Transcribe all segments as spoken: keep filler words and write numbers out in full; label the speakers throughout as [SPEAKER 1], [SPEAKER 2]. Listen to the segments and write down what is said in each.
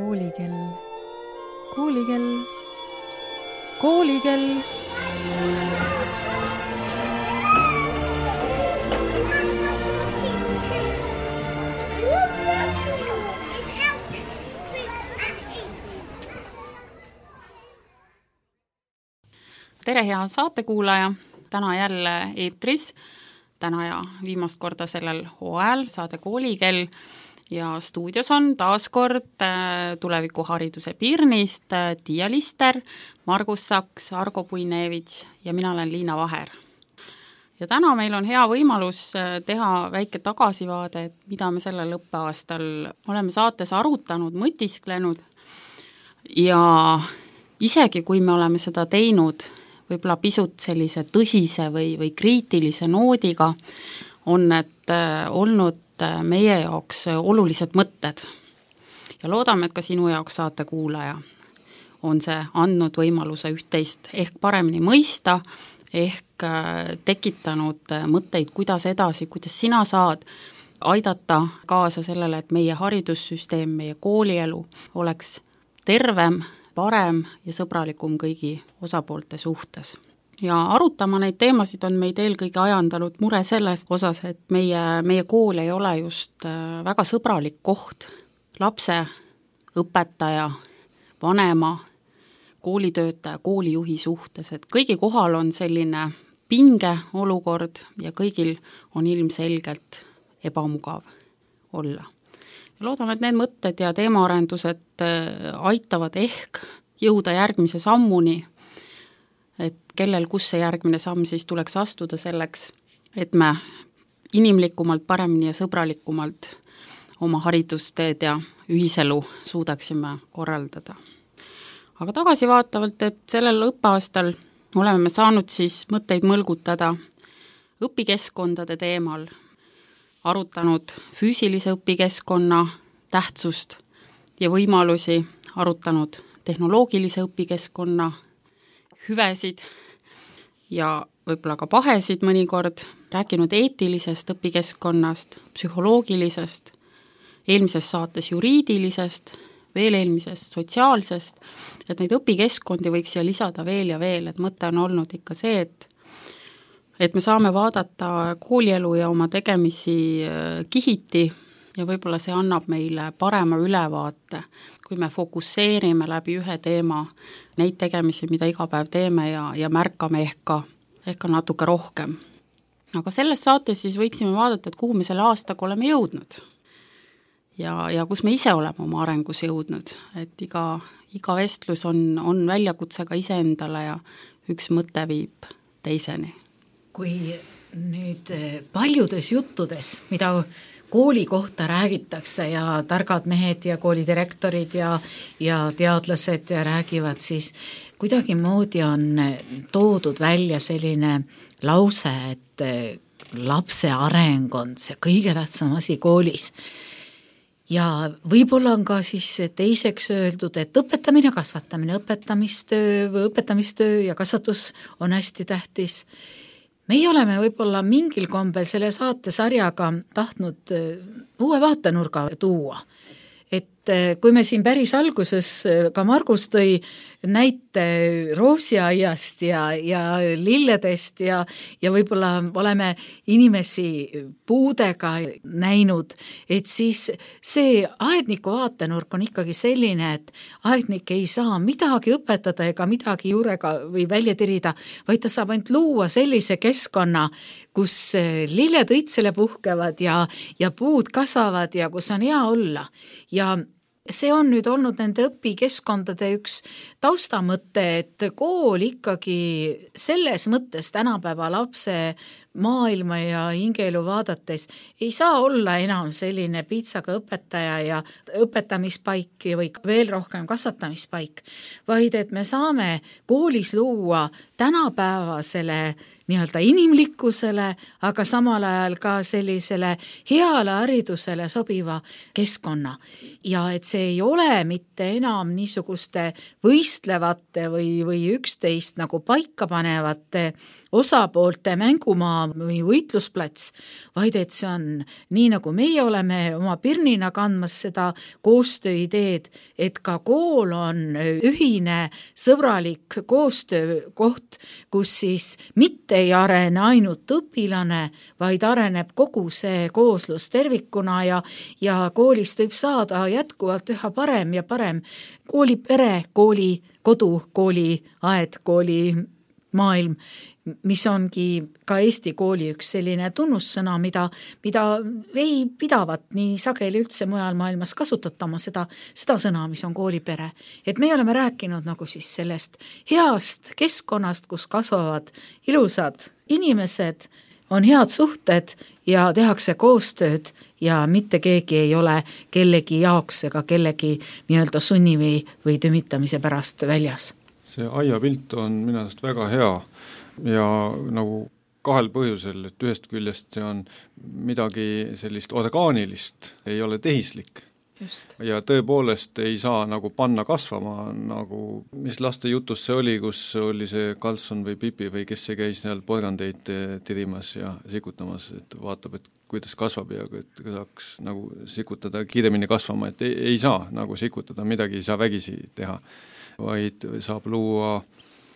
[SPEAKER 1] Koolikell, koolikell, koolikell. Tere, hea saatekuulaja! Täna jälle eetris, täna ja viimast korda sellel hooajal saade Koolikell ja stuudios on taas kord tulevikuhariduse Pirnist Tiia Lister, Margus Saks, Argo Puinevits ja mina olen Liina Vaher. Ja täna meil on hea võimalus teha väike tagasivaade, et mida me sellel õppeaastal oleme saates arutanud, mõtisklenud ja isegi kui me oleme seda teinud võib-olla pisut sellise tõsise või, või kriitilise noodiga, on need olnud meie jaoks olulised mõtted. Ja loodame, et ka sinu jaoks saate kuulaja on see andnud võimaluse üht-teist ehk paremini mõista, ehk tekitanud mõtteid, kuidas edasi, kuidas sina saad aidata kaasa sellele, et meie haridussüsteem, meie koolielu oleks tervem, parem ja sõbralikum kõigi osapoolte suhtes. Ja arutama neid teemasid on meid eelkõige ajandanud mure selles osas, et meie, meie kool ei ole just väga sõbralik koht lapse, õpetaja, vanema, koolitöötaja, koolijuhi suhtes, et kõigi kohal on selline pinge olukord ja kõigil on ilmselgelt ebamugav olla. Loodame, et need mõtted ja teemaarendused aitavad ehk jõuda järgmise sammuni, et kellel kus see järgmine samm siis tuleks astuda selleks, et me inimlikumalt, paremini ja sõbralikumalt oma haridusteed ja ühiselu suudaksime korraldada. Aga tagasivaatavalt, et sellel õppeaastal oleme saanud siis mõtteid mõlgutada õpikeskkondade teemal, arutanud füüsilise õpikeskkonna tähtsust ja võimalusi, arutanud tehnoloogilise õpikeskkonna hüvesid ja võib-olla ka pahesid mõnikord, rääkinud eetilisest õpikeskkonnast, psühholoogilisest, eelmises saates juriidilisest, veel eelmisest sotsiaalsest, et neid õpikeskkondi võiks siia lisada veel ja veel, et mõte on olnud ikka see, et et me saame vaadata koolielu ja oma tegemisi kihiti ja võib-olla see annab meile parema ülevaate, kui me fokusseerime läbi ühe teema neid tegemisi, mida iga päev teeme ja, ja märkame ehk ka, ehk ka natuke rohkem. Aga selles saates siis võiksime vaadata, et kuhu me selle aastaga oleme jõudnud ja, ja kus me ise oleme oma arengus jõudnud, et iga, iga vestlus on, on väljakutsega iseendale ja üks mõte viib teiseni.
[SPEAKER 2] Kui nüüd paljudes juttudes, mida kooli kohta räägitakse ja targad mehed ja koolidirektorid ja, ja teadlased räägivad, siis kuidagi moodi on toodud välja selline lause, et lapse areng on see kõige tähtsam asi koolis. Ja võib-olla on ka siis teiseks öeldud, et õpetamine, kasvatamine, õpetamistöö või õpetamistöö ja kasvatus on hästi tähtis. Meie oleme võib-olla mingil kombel selle saatesarjaga tahtnud uue vaatenurga tuua. Et kui me siin päris alguses ka Margus tõi näite roosiaiast ja, ja lilledest ja, ja võib-olla oleme inimesi puudega näinud, et siis see aedniku vaatenurk on ikkagi selline, et aednik ei saa midagi õpetada ega midagi juurega või välja tirida, vaid ta saab ainult luua sellise keskkonna, kus lilled õitsele puhkevad ja, ja puud kasvavad ja kus on hea olla. Ja see on nüüd olnud nende õpikeskkondade üks taustamõte, et kool ikkagi selles mõttes tänapäeva lapse maailma ja hingeelu vaadates ei saa olla enam selline piitsaga õpetaja ja õpetamispaik või veel rohkem kasvatamispaik, vaid et me saame koolis luua tänapäevasele nii-öelda inimlikkusele, aga samal ajal ka sellisele heale haridusele sobiva keskkonna. Ja et see ei ole mitte enam niisuguste võistlevate või, või üksteist nagu paika panevate osapoolte mängumaa või võitlusplats, vaid et see on nii, nagu meie oleme oma pirnina kandmas seda koostööideed, et ka kool on ühine sõbralik koostöökoht, kus siis mitte ei arene ainult õpilane, vaid areneb kogu see kooslus tervikuna ja, ja koolist võib saada jätkuvalt üha parem ja parem koolipere, kooli kodu, kooli aed, kooli maailm, mis ongi ka Eesti kooli üks selline tunnussõna, mida, mida ei pidavat nii sageli üldse mujal maailmas kasutatama seda, seda sõna, mis on koolipere. Et me oleme rääkinud nagu siis sellest heast keskkonnast, kus kasvavad ilusad inimesed, on head suhted ja tehakse koostööd ja mitte keegi ei ole kellegi jaoks ega kellegi nii-öelda sunni või, või tümitamise pärast väljas.
[SPEAKER 3] See aiapilt on minu arust väga hea ja nagu kahel põhjusel, et ühest küljest see on midagi sellist orgaanilist, ei ole tehislik. Just. Ja tõepoolest ei saa nagu panna kasvama, nagu mis laste jutus see oli, kus oli see Karlsson või Pipi või kes see käis seal porgandeid tirimas ja sikutamas, et vaatab, et kuidas kasvab ja et saaks nagu sikutada kiiremini kasvama, et ei, ei saa nagu sikutada, midagi ei saa vägisi teha, vaid saab luua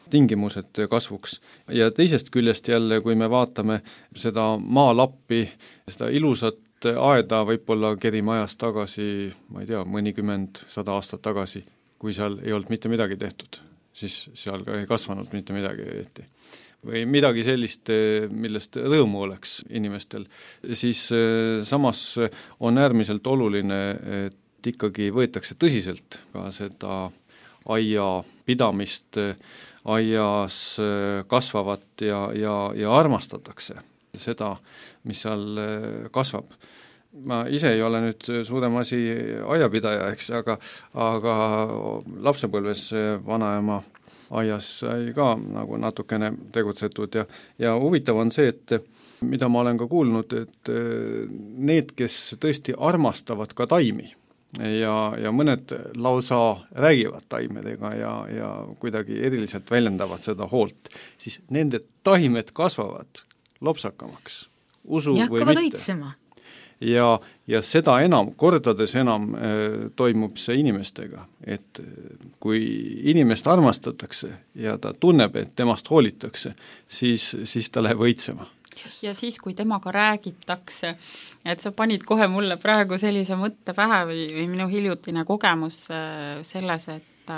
[SPEAKER 3] tingimused kasvuks. Ja teisest küljest jälle, kui me vaatame seda maalappi, seda ilusat aeda võib-olla kerime ajast tagasi, ma ei tea, mõnikümmend, sada aastat tagasi, kui seal ei olnud mitte midagi tehtud, siis seal ka ei kasvanud mitte midagi õieti. Või midagi sellist, millest rõõmu oleks inimestel. Siis samas on äärmiselt oluline, et ikkagi võetakse tõsiselt ka seda aia pidamist, aias kasvavat ja, ja, ja armastatakse seda, mis seal kasvab. Ma ise ei ole nüüd suurem asi aiapidaja, eks, aga, aga lapsepõlves vanaema aias sai ka nagu natukene tegutsetud ja, ja huvitav on see, et mida ma olen ka kuulnud, et need, kes tõesti armastavad ka taimi ja, ja mõned lausa räägivad taimedega ja, ja kuidagi eriliselt väljendavad seda hoolt, siis nende taimed kasvavad lopsakamaks, usu
[SPEAKER 2] ja
[SPEAKER 3] või mitte.
[SPEAKER 2] Õitsema.
[SPEAKER 3] Ja, ja seda enam, kordades enam äh, toimub see inimestega, et kui inimest armastatakse ja ta tunneb, et temast hoolitakse, siis, siis ta läheb õitsema.
[SPEAKER 1] Ja siis, kui temaga räägitakse, et sa panid kohe mulle praegu sellise mõtte pähe või, või minu hiljutine kogemus äh, selles, et,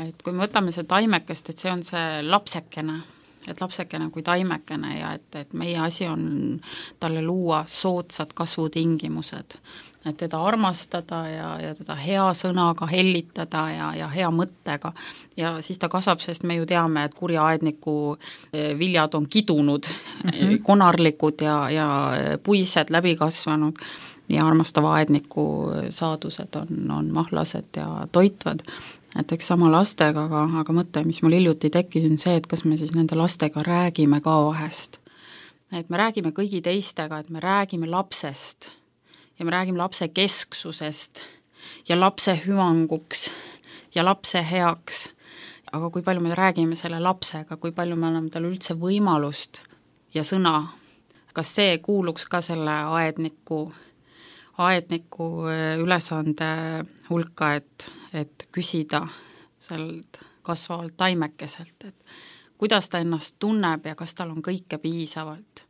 [SPEAKER 1] et kui me võtame see taimekest, et see on see lapsekene, et lapsekene kui taimekene ja et, et meie asi on talle luua soodsad kasvutingimused, et teda armastada ja, ja teda hea sõnaga hellitada ja, ja hea mõttega ja siis ta kasvab, sest me ju teame, et kurja aedniku viljad on kidunud, mm-hmm. konarlikud ja, ja puised läbi kasvanud ja armastava aedniku saadused on, on mahlased ja toitvad. Et eks sama lastega, aga, aga mõte, mis mul hiljuti tekkis, on see, et kas me siis nende lastega räägime ka vahest. Et me räägime kõigi teistega, et me räägime lapsest ja me räägime lapse kesksusest ja lapse hüvanguks ja lapse heaks. Aga kui palju me räägime selle lapsega, kui palju me anname talle üldse võimalust ja sõna, kas see kuuluks ka selle aedniku, aedniku ülesande hulka, et et küsida sealt kasvavalt taimekeselt, et kuidas ta ennast tunneb ja kas tal on kõike piisavalt.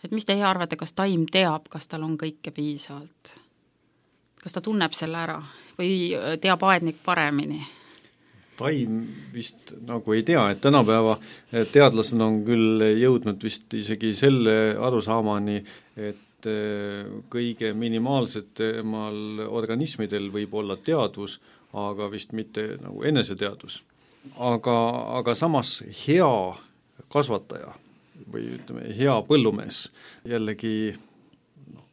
[SPEAKER 1] Et mis teie arvate, kas taim teab, kas tal on kõike piisavalt? Kas ta tunneb selle ära või teab aednik paremini?
[SPEAKER 3] Taim vist nagu ei tea, et tänapäeva teadlased on küll jõudnud vist isegi selle arusaamani, et kõige minimaalsetemal organismidel võib olla teadvus, aga vist mitte nagu eneseteadvus. Aga, aga samas hea kasvataja või ütleme, hea põllumees jällegi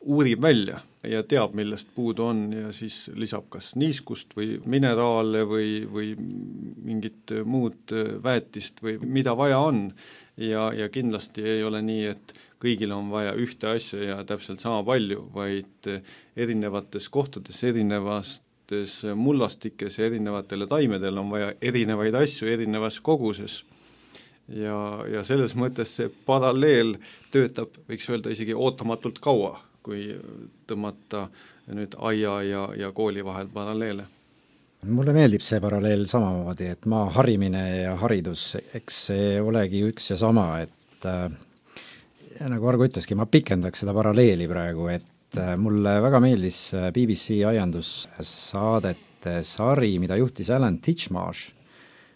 [SPEAKER 3] uurib välja ja teab, millest puudu on ja siis lisab kas niiskust või mineraale või, või mingit muud väetist või mida vaja on. Ja, ja kindlasti ei ole nii, et kõigil on vaja ühte asja ja täpselt sama palju, vaid erinevates kohtades, erinevates mullastikes ja erinevatele taimedel on vaja erinevaid asju erinevas koguses. ja, ja selles mõttes see paralleel töötab, võiks öelda isegi ootamatult kaua, kui tõmmata nüüd aia ja, ja kooli vahel paralleele.
[SPEAKER 4] Mulle meeldib see paralleel samamoodi, et maa harimine ja haridus, eks see olegi üks ja sama, et äh, nagu Argo ütleski, ma pikendaks seda paralleeli praegu, et äh, mulle väga meeldis B B C aiandussaadete sari, mida juhtis Alan Titchmarsh.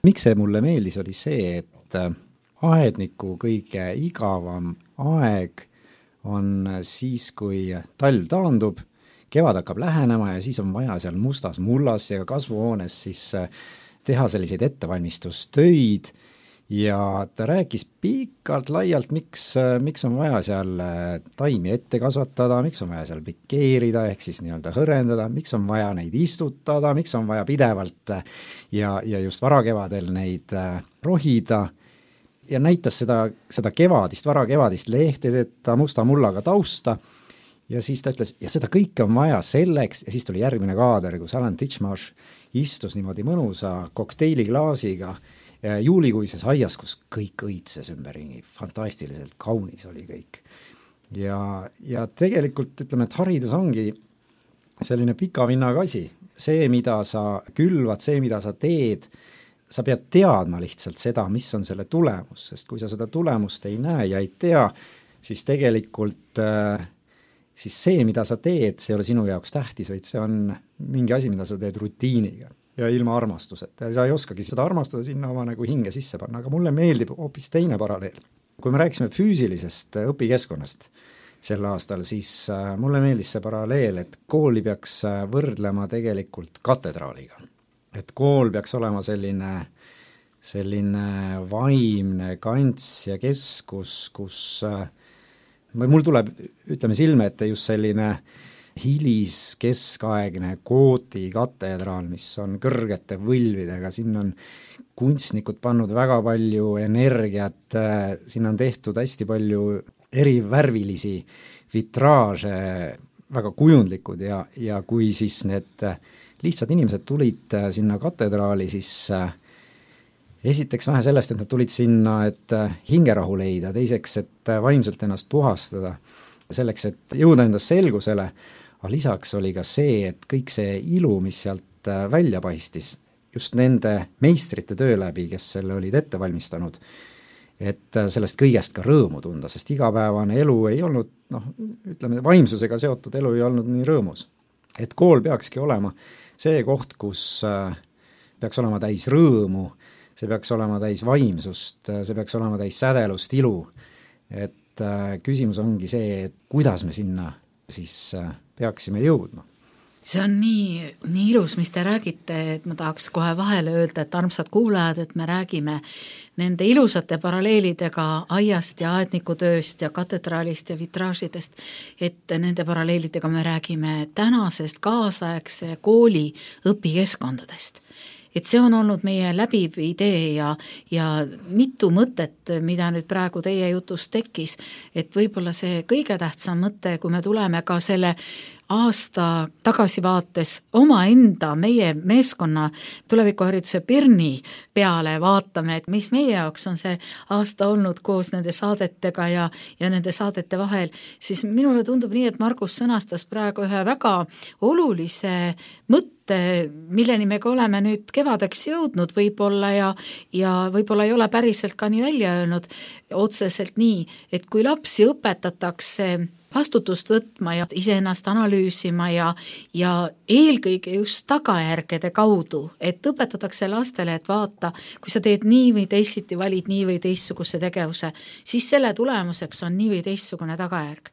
[SPEAKER 4] Miks see mulle meeldis, oli see, et äh, aedniku kõige igavam aeg on siis, kui talv taandub, kevad hakkab lähenema ja siis on vaja seal mustas mullas ja kasvuhoones siis teha selliseid ettevalmistustöid ja ta rääkis pikalt laialt, miks, miks on vaja seal taimi ette kasvatada, miks on vaja seal pikeerida ehk siis nii-öelda hõrendada, miks on vaja neid istutada, miks on vaja pidevalt ja, ja just varakevadel neid rohida ja näitas seda, seda kevadist, varakevadist lehtedeta musta mullaga tausta. Ja siis ta ütles, ja seda kõike on vaja selleks, ja siis tuli järgmine kaader, kus Alan Titchmarsh istus niimoodi mõnusa kokteiliklaasiga juulikuises aias, kus kõik õitses ümberringi, fantastiliselt kaunis oli kõik. Ja, ja tegelikult ütleme, et haridus ongi selline pika vinnaga asi. See, mida sa külvad, see, mida sa teed, sa pead teadma lihtsalt seda, mis on selle tulemus, sest kui sa seda tulemust ei näe ja ei tea, siis tegelikult äh, siis see, mida sa teed, see ei ole sinu jaoks tähtis, vaid see on mingi asi, mida sa teed rutiiniga ja ilma armastuseta. Ja sa ei oskagi seda armastada sinna oma nagu hinge sisse panna, aga mulle meeldib hoopis teine paralleel. Kui me rääkisime füüsilisest õpikeskkonnast sel aastal, siis mulle meeldis see paralleel, et kooli peaks võrdlema tegelikult katedraaliga. Et kool peaks olema selline, selline vaimne kants ja keskus, kus mul tuleb, ütleme silme ette just selline hilis keskaegne Gooti katedraal, mis on kõrgete võlvidega, siin on kunstnikud pannud väga palju energiat, siin on tehtud hästi palju erivärvilisi vitraaže, väga kujundlikud ja, ja kui siis need lihtsad inimesed tulid sinna katedraali, siis esiteks vähe sellest, et nad tulid sinna, et hingerahu leida, teiseks, et vaimselt ennast puhastada, selleks, et jõuda endast selgusele, aga lisaks oli ka see, et kõik see ilu, mis sealt välja paistis, just nende meistrite töö läbi, kes selle olid ette valmistanud, et sellest kõigest ka rõõmu tunda, sest igapäevane elu ei olnud, noh, ütleme, vaimsusega seotud elu ei olnud nii rõõmus. Et kool peakski olema see koht, kus peaks olema täis rõõmu, see peaks olema täis vaimsust, see peaks olema täis sädelust, ilu. Et äh, küsimus ongi see, et kuidas me sinna siis äh, peaksime jõudma.
[SPEAKER 2] See on nii, nii ilus, mis te räägite, et ma tahaks kohe vahele öelda, et armsad kuulajad, et me räägime nende ilusate paralleelidega aiast ja aednikutööst ja katedraalist ja vitraažidest, et nende paralleelidega me räägime tänasest kaasaegse kooli õpikeskkondadest. Et see on olnud meie läbiv idee ja, ja mitu mõtet, mida nüüd praegu teie jutus tekkis, et võib-olla see kõige tähtsam mõte, kui me tuleme ka selle aasta tagasivaates omaenda, meie meeskonna tulevikuhariduse Pirni peale vaatame, et mis meie jaoks on see aasta olnud koos nende saadetega ja, ja nende saadete vahel, siis minule tundub nii, et Margus sõnastas praegu ühe väga olulise mõtte, milleni me ka oleme nüüd kevadeks jõudnud võib-olla ja, ja võib-olla ei ole päriselt ka nii välja öelnud otseselt nii, et kui lapsi õpetatakse vastutust võtma ja iseennast analüüsima ja, ja eelkõige just tagajärgede kaudu, et õpetatakse lastele, et vaata, kui sa teed nii või teisiti, valid nii või teistsuguse tegevuse, siis selle tulemuseks on nii või teistsugune tagajärg.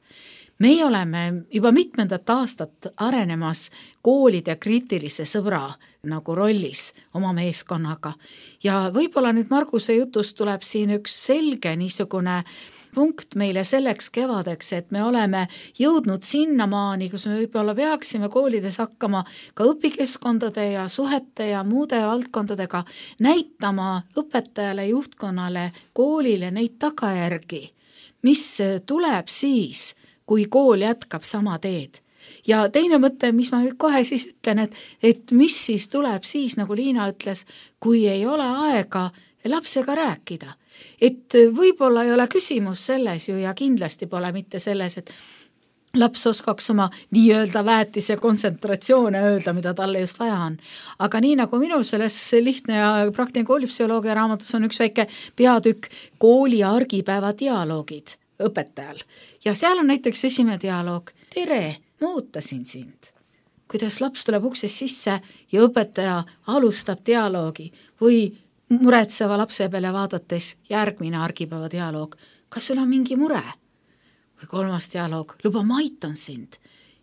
[SPEAKER 2] Meie oleme juba mitmendat aastat arenemas koolide kriitilise sõbra nagu rollis oma meeskonnaga ja võib-olla nüüd Marguse jutust tuleb siin üks selge niisugune punkt meile selleks kevadeks, et me oleme jõudnud sinnamaani, kus me võib-olla peaksime koolides hakkama ka õpikeskkondade ja suhete ja muude valdkondadega näitama õpetajale, juhtkonnale, koolile neid tagajärgi, mis tuleb siis, kui kool jätkab sama teed. Ja teine mõte, mis ma kohe siis ütlen, et, et mis siis tuleb siis, nagu Liina ütles, kui ei ole aega lapsega rääkida. et võib-olla ei ole küsimus selles ju ja kindlasti pole mitte selles, et laps oskaks oma nii-öelda väetise kontsentratsioone öelda, mida talle just vaja on. Aga nii nagu minul selles lihtne ja praktiline koolipsühholoogia raamatus on üks väike peatükk kooli argipäeva dialoogid õpetajal. Ja seal on näiteks esimene dialoog. Tere, ma ootasin sind. Kuidas laps tuleb uksest sisse ja õpetaja alustab dialoogi või muretseva lapse peale vaadates järgmine argipäeva dialoog. Kas sul on mingi mure? Või kolmas dialoog, luba, ma aitan sind,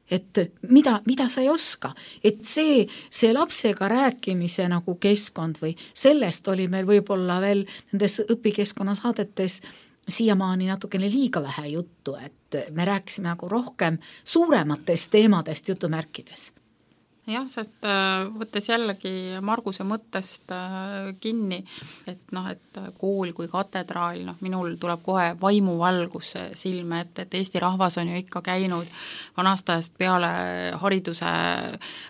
[SPEAKER 2] et mida, mida sa ei oska, et see, see lapsega rääkimise nagu keskkond või sellest oli meil võib-olla veel nendes õpikeskkonna saadetes siiamaani natukene liiga vähe juttu, et me rääkisime nagu rohkem suurematest teemadest jutumärkides.
[SPEAKER 1] Jah, sest võttes jällegi Marguse mõttest kinni, et noh, et kool kui katedraal, noh, minul tuleb kohe vaimuvalgus silme, et, et Eesti rahvas on ju ikka käinud vanastajast peale hariduse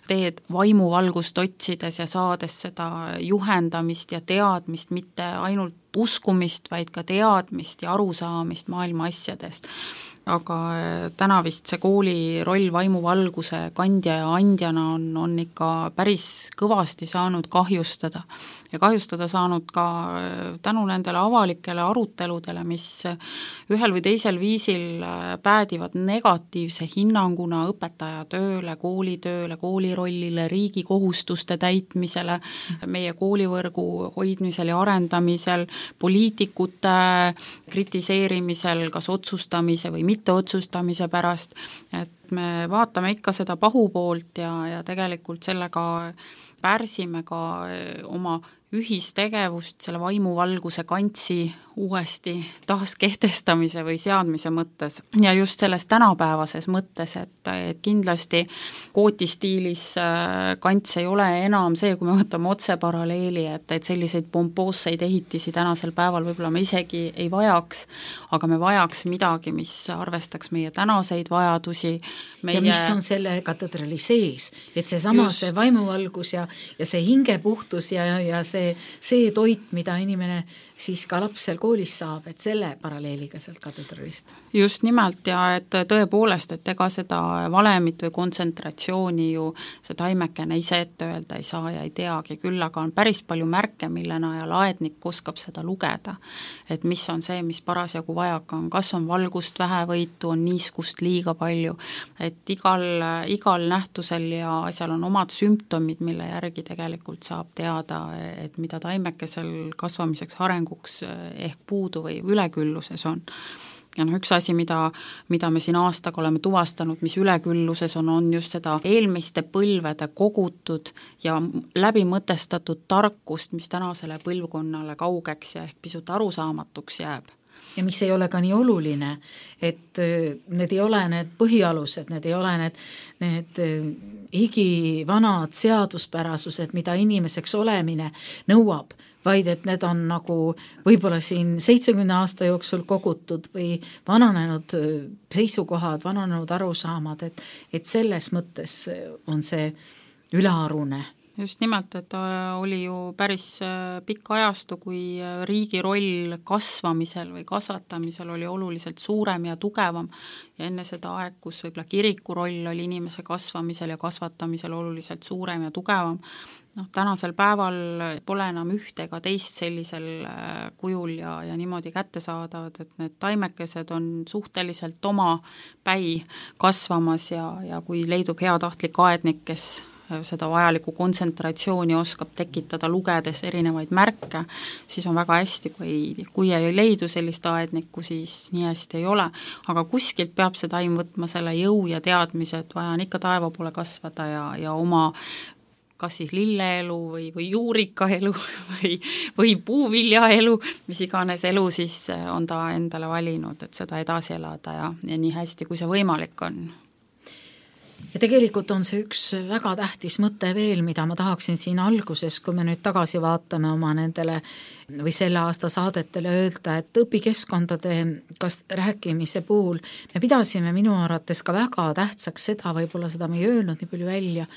[SPEAKER 1] teed vaimuvalgust otsides ja saades seda juhendamist ja teadmist, mitte ainult uskumist, vaid ka teadmist ja arusaamist maailma asjadest. Aga täna vist see kooli roll vaimuvalguse kandja ja andjana on, on ikka päris kõvasti saanud kahjustada ja kahjustada saanud ka tänu nendele avalikele aruteludele, mis ühel või teisel viisil päädivad negatiivse hinnanguna õpetaja tööle, koolitööle, koolirollile, riigi kohustuste täitmisele, meie koolivõrgu hoidmisel ja arendamisel, poliitikute kritiseerimisel, kas otsustamise või mitte otsustamise pärast, et me vaatame ikka seda pahupoolt ja, ja tegelikult sellega pärsime ka oma ühistegevust, selle vaimuvalguse kantsi uuesti taaskehtestamise või seadmise mõttes ja just selles tänapäevases mõttes, et, et kindlasti kootistiilis kants ei ole enam see, kui me võtame otse paralleeli, et, et selliseid pompoosseid ehitisi tänasel päeval võib-olla me isegi ei vajaks, aga me vajaks midagi, mis arvestaks meie tänaseid vajadusi. Meie...
[SPEAKER 2] Ja mis on selle katedrali sees, et see sama, just... see vaimuvalgus ja, ja see hingepuhtus ja, ja see, see toit, mida inimene siis ka lapsel koolis saab, et selle paralleeliga sealt katedralist.
[SPEAKER 1] Just nimelt ja et tõepoolest, et ega seda valemit või kontsentratsiooni ju see taimekene ise ette öelda ei saa ja ei teagi, küll aga on päris palju märke, mille najal aednik oskab seda lugeda, et mis on see, mis parasjagu vajaka on, kas on valgust vähevõitu, on niiskust liiga palju, et igal, igal nähtusel ja asjal on omad sümptomid, mille järgi tegelikult saab teada, et mida taimekesel kasvamiseks arenguks ehk puudu või ülekülluses on. Ja noh, üks asi, mida, mida me siin aastaga oleme tuvastanud, mis ülekülluses on, on just seda eelmiste põlvede kogutud ja läbimõtestatud tarkust, mis tänasele põlvkonnale kaugeks ja ehk pisut arusaamatuks jääb.
[SPEAKER 2] Ja mis ei ole ka nii oluline, et need ei ole need põhialused, need ei ole need, need igivanad seaduspärasused, mida inimeseks olemine nõuab, vaid et need on nagu võib-olla siin seitsekümne aasta jooksul kogutud või vananenud seisukohad, vananenud arusaamad, et, et selles mõttes on see ülearune.
[SPEAKER 1] Just nimelt, et oli ju päris pikk ajastu, kui riigi roll kasvamisel või kasvatamisel oli oluliselt suurem ja tugevam ja enne seda aeg, kus võib-olla kiriku roll oli inimese kasvamisel ja kasvatamisel oluliselt suurem ja tugevam. Noh, tänasel päeval pole enam ühte ega teist sellisel kujul ja, ja niimoodi kätte saadavad, et need taimekesed on suhteliselt oma päi kasvamas ja, ja kui leidub heatahtlik aednik, kes seda vajalikku kontsentratsiooni oskab tekitada lugedes erinevaid märke, siis on väga hästi, kui, kui ei leidu sellist aednikku, siis nii hästi ei ole. Aga kuskilt peab see taim võtma selle jõu ja teadmise, et vaja on ikka taeva poole kasvada ja, ja oma kas siis lilleelu või, või juurikaelu või, või puuviljaelu, mis iganes elu siis on ta endale valinud, et seda edasi elada ja, ja nii hästi, kui see võimalik on.
[SPEAKER 2] Ja tegelikult on see üks väga tähtis mõte veel, mida ma tahaksin siin alguses, kui me nüüd tagasi vaatame oma nendele või selle aasta saadetele öelda, et õpikeskkondade kas rääkimise puhul me pidasime minu arvates ka väga tähtsaks seda, võib-olla seda me ei öelnud nii palju välja,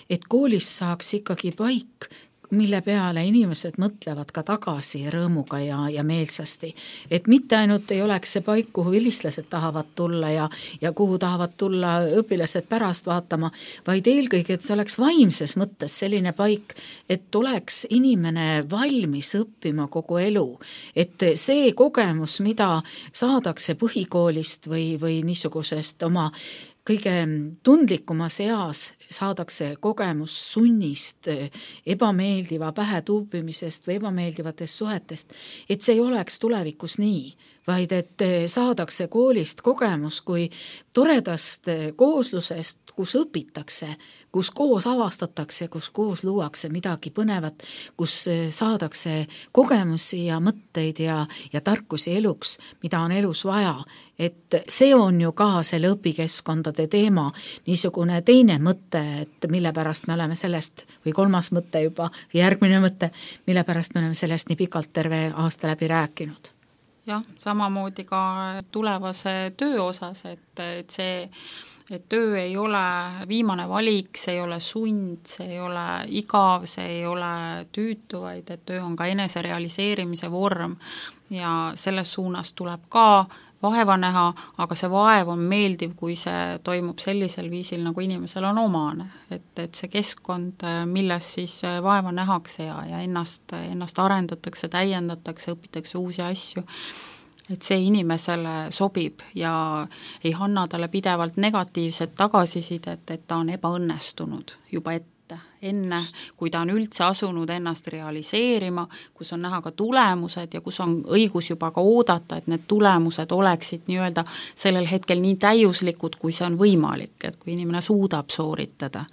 [SPEAKER 2] et koolis saaks ikkagi paik mille peale inimesed mõtlevad ka tagasi rõõmuga ja, ja meelsasti. Et mitte ainult ei oleks see paik, kuhu vilistlased tahavad tulla ja, ja kuhu tahavad tulla õpilased pärast vaatama, vaid eelkõige, et see oleks vaimses mõttes selline paik, et oleks inimene valmis õppima kogu elu. Et see kogemus, mida saadakse põhikoolist või, või niisugusest oma kõige tundlikumas eas saadakse kogemus sunnist, ebameeldiva pähe tuubimisest või ebameeldivatest suhetest, et see ei oleks tulevikus nii, vaid et saadakse koolist kogemus kui toredast kooslusest, kus õpitakse, kus koos avastatakse, kus koos luuakse midagi põnevat, kus saadakse kogemusi ja mõtteid ja, ja tarkusi eluks, mida on elus vaja. Et see on ju ka selle õpikeskkondade teema, niisugune teine mõte, et mille pärast me oleme sellest, või kolmas mõte juba, järgmine mõte, mille pärast me oleme sellest nii pikalt terve aasta läbi rääkinud.
[SPEAKER 1] Jah, samamoodi ka tulevase töö osas, et, et see et töö ei ole viimane valik, see ei ole sund, see ei ole igav, see ei ole tüütu, vaid et töö on ka eneserealiseerimise vorm ja selles suunas tuleb ka vaeva näha, aga see vaev on meeldiv, kui see toimub sellisel viisil, nagu inimesel on omane. Et, et see keskkond, milles siis vaeva nähakse ja, ja ennast, ennast arendatakse, täiendatakse, õpitakse uusi asju, et see inimesele sobib ja ei anna talle pidevalt negatiivset tagasisidet, et ta on ebaõnnestunud juba ette. Enne, kui ta on üldse asunud ennast realiseerima, kus on näha ka tulemused ja kus on õigus juba ka oodata, et need tulemused oleksid nii-öelda sellel hetkel nii täiuslikud, kui see on võimalik, et kui inimene suudab sooritada.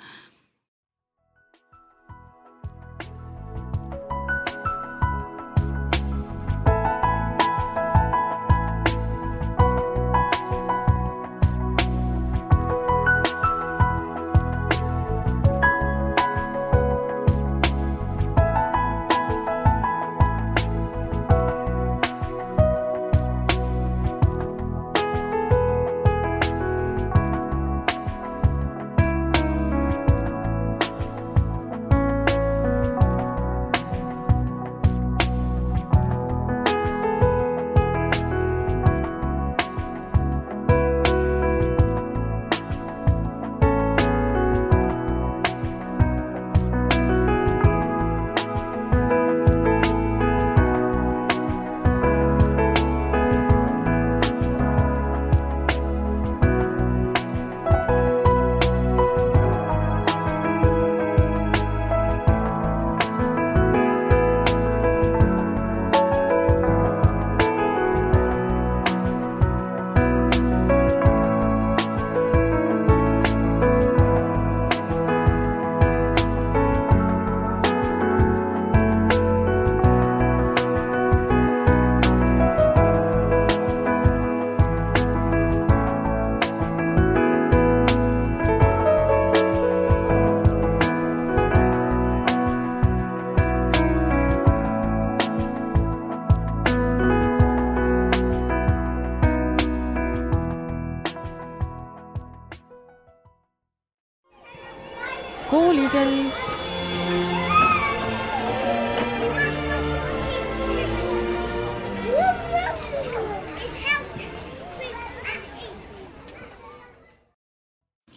[SPEAKER 1] Koolikell.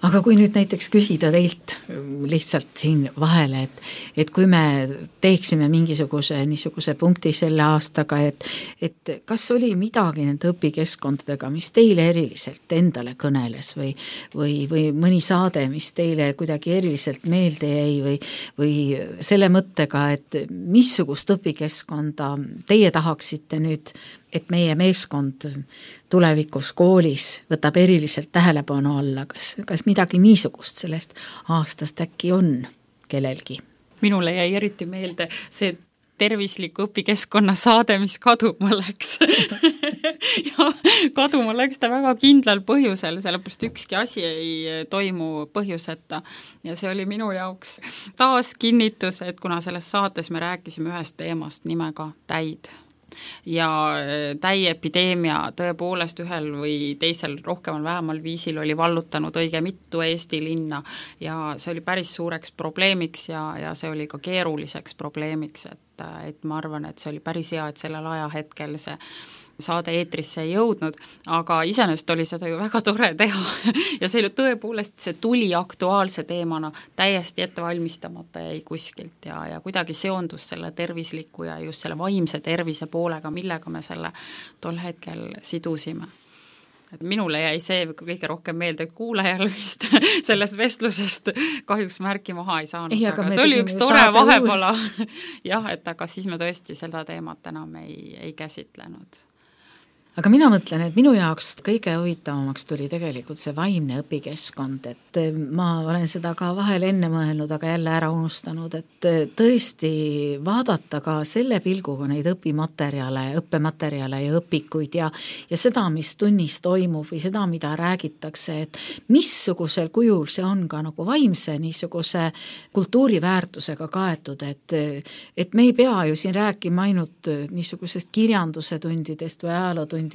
[SPEAKER 2] Aga kui nüüd näiteks küsida teilt lihtsalt siin vahele, et, et kui me teeksime mingisuguse niisuguse punkti selle aastaga, et, et kas oli midagi nende õpikeskkondadega, mis teile eriliselt endale kõneles või, või, või mõni saade, mis teile kuidagi eriliselt meelde jäi või, või selle mõttega, et missugust õpikeskkonda teie tahaksite nüüd, et meie meeskond tulevikus koolis võtab eriliselt tähelepanu alla, kas, kas midagi niisugust sellest aastast äkki on kellelgi?
[SPEAKER 1] Minule jäi eriti meelde see tervisliku õpikeskkonna saade, mis kaduma läks. ja kaduma läks ta väga kindlal põhjusel, sellepärast ükski asi ei toimu põhjuseta. Ja see oli minu jaoks taas kinnitus, et kuna selles saates me rääkisime ühest teemast nimega täid, ja täiepideemia tõepoolest ühel või teisel rohkemal vähemal viisil oli vallutanud õige mitu Eesti linna ja see oli päris suureks probleemiks ja, ja see oli ka keeruliseks probleemiks, et, et ma arvan, et see oli päris hea, et sellel ajahetkel see saade eetrisse ei jõudnud, aga iseenesest oli seda ju väga tore teha ja see oli tõepoolest, see tuli aktuaalse teemana täiesti ette valmistamata jäi kuskilt ja, ja kuidagi seondus selle tervisliku ja just selle vaimse tervise poolega, millega me selle tol hetkel sidusime. Et minule jäi see kõige rohkem meelde, kuulajal vist sellest vestlusest kahjuks märki maha ei saanud, ei, aga, aga see oli üks tore vahepala jah, et aga siis me tõesti seda teemat enam ei, ei käsitlenud.
[SPEAKER 2] Aga mina mõtlen, et minu jaoks kõige huvitavamaks tuli tegelikult see vaimne õpikeskkond, et ma olen seda ka vahel enne mõelnud, aga jälle ära unustanud, et tõesti vaadata ka selle pilguga neid õpimaterjale, õppematerjale ja õpikuid ja, ja seda, mis tunnis toimub või seda, mida räägitakse, et missugusel kujul see on ka nagu vaimse niisuguse kultuuriväärtusega kaetud, et, et me ei pea ju siin rääkima ainult niisugusest kirjanduse tundidest või ajalootundidest,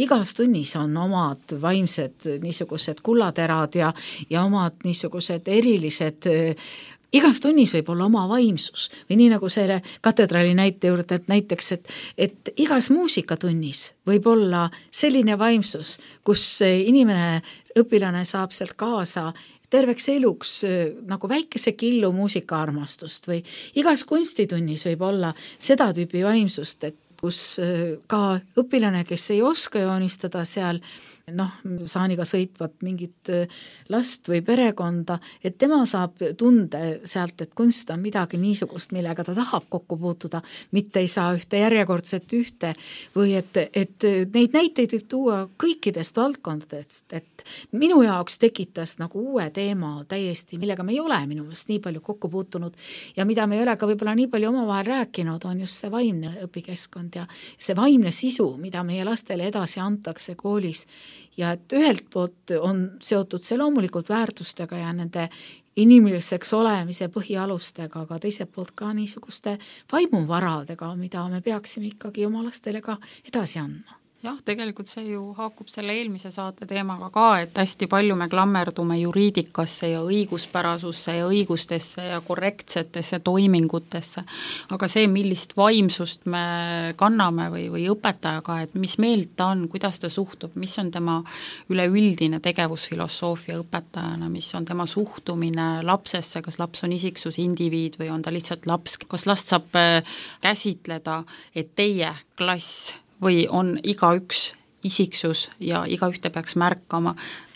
[SPEAKER 2] igas tunnis on omad vaimsed niisugused kullaterad ja, ja omad niisugused erilised, igas tunnis võib olla oma vaimsus või nii nagu selle katedraali näite juurde, et näiteks, et, et igas muusikatunnis võib olla selline vaimsus, kus inimene, õpilane saab sealt kaasa terveks eluks nagu väikese killu muusikaarmastust või igas kunstitunnis võib olla seda tüüpi vaimsust, et kus ka õpilane, kes ei oska joonistada seal noh, saaniga sõitvat mingit last või perekonda, et tema saab tunde sealt, et kunst on midagi niisugust, millega ta tahab kokku puutuda, mitte ei saa ühte järjekordset ühte või et, et neid näiteid võib tuua kõikidest valdkondadest, et minu jaoks tekitas nagu uue teema täiesti, millega me ei ole minu meelest nii palju kokku puutunud ja mida me ei ole ka võib-olla nii palju omavahel rääkinud, on just see vaimne õpikeskkond ja see vaimne sisu, mida meie lastele edasi antakse koolis ja et ühelt poolt on seotud see loomulikult väärtustega ja nende inimeseks olemise põhialustega, aga teiselt poolt ka niisuguste vaimuvaradega, mida me peaksime ikkagi oma lastele ka edasi andma.
[SPEAKER 1] Jah, tegelikult see ju haakub selle eelmise saate teemaga ka, et hästi palju me klammerdume juriidikasse ja õiguspärasusse ja õigustesse ja korrektsetesse toimingutesse, aga see, millist vaimsust me kanname või, või õpetajaga, et mis meelt ta on, kuidas ta suhtub, mis on tema üleüldine tegevusfilosoofia õpetajana, mis on tema suhtumine lapsesse, kas laps on isiksus, indiviid või on ta lihtsalt laps, kas last saab käsitleda, et teie klass või on igaüks isiksus ja igaühte peaks märkama,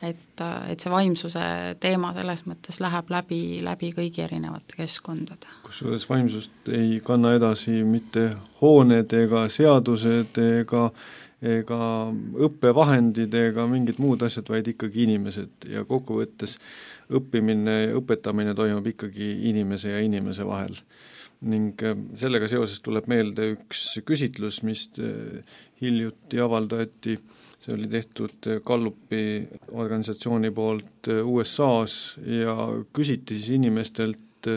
[SPEAKER 1] et, et see vaimsuse teema selles mõttes läheb läbi, läbi kõigi erinevate keskkondade.
[SPEAKER 3] Kusjuures vaimsust ei kanna edasi mitte hooned ega seadused ega, ega õppevahendid ega mingid muud asjad, vaid ikkagi inimesed ja kokkuvõttes õppimine ja õpetamine toimub ikkagi inimese ja inimese vahel. Ning sellega seoses tuleb meelde üks küsitlus, mis hiljuti avaldati, see oli tehtud Gallupi organisatsiooni poolt U S A-s ja küsiti siis inimestelt,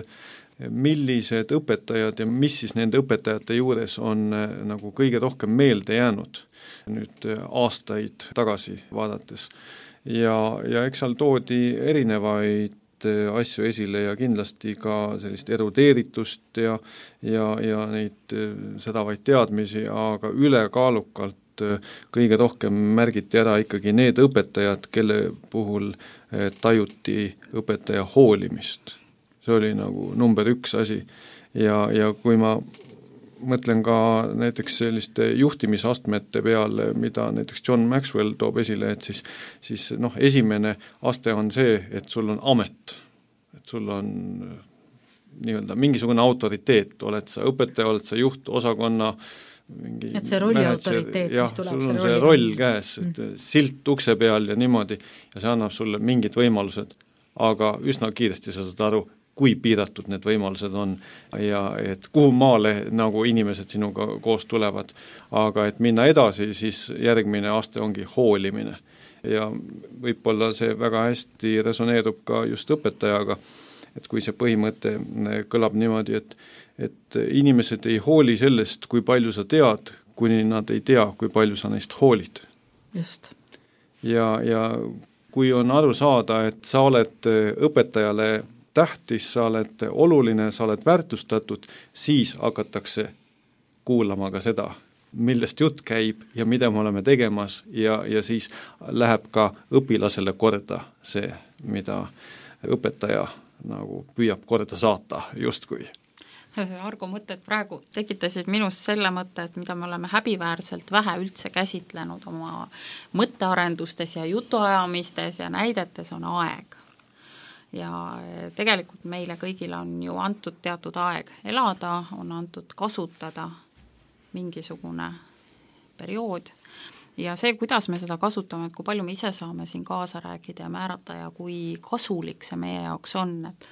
[SPEAKER 3] millised õpetajad ja mis siis nende õpetajate juures on nagu kõige rohkem meelde jäänud nüüd aastaid tagasi vaadates. Ja, ja eks seal toodi erinevaid asju esile ja kindlasti ka sellist erudeeritust ja, ja, ja neid sedavaid teadmisi, aga ülekaalukalt kõige rohkem märgiti ära ikkagi need õpetajad, kelle puhul tajuti õpetaja hoolimist. See oli nagu number üks asi ja, ja kui ma mõtlen ka näiteks selliste juhtimisastmete peale, mida näiteks John Maxwell toob esile, et siis, siis noh, esimene aste on see, et sul on amet, et sul on nii-öelda mingisugune autoriteet, oled sa õpetaja, oled sa juht, osakonna mingi
[SPEAKER 2] et see rolli manager, autoriteet,
[SPEAKER 3] jah, mis tuleb sul on see roll käes, et mm. silt ukse peal ja niimoodi ja see annab sulle mingid võimalused, aga üsna kiiresti sa saad aru, kui piiratud need võimalused on ja et kuhu maale nagu inimesed sinuga koos tulevad. Aga et minna edasi, siis järgmine aste ongi hoolimine. Ja võib-olla see väga hästi resoneerub ka just õpetajaga, et kui see põhimõte kõlab niimoodi, et, et inimesed ei hooli sellest, kui palju sa tead, kuni nad ei tea, kui palju sa neist hoolid.
[SPEAKER 2] Just.
[SPEAKER 3] Ja, ja kui on aru saada, et sa oled õpetajale tähtis, sa oled oluline, sa oled väärtustatud, siis hakatakse kuulama ka seda, millest jutt käib ja mida me oleme tegemas ja, ja siis läheb ka õpilasele korda see, mida õpetaja nagu püüab korda saata justkui.
[SPEAKER 1] Argo mõtted praegu tekitasid minust selle mõtte, et mida me oleme häbiväärselt vähe üldse käsitlenud oma mõttearendustes ja jutuajamistes ja näidetes on aeg. Ja tegelikult meile kõigile on ju antud teatud aeg elada, on antud kasutada mingisugune periood ja see, kuidas me seda kasutame, et kui palju me ise saame siin kaasa rääkida ja määrata ja kui kasulik see meie jaoks on, et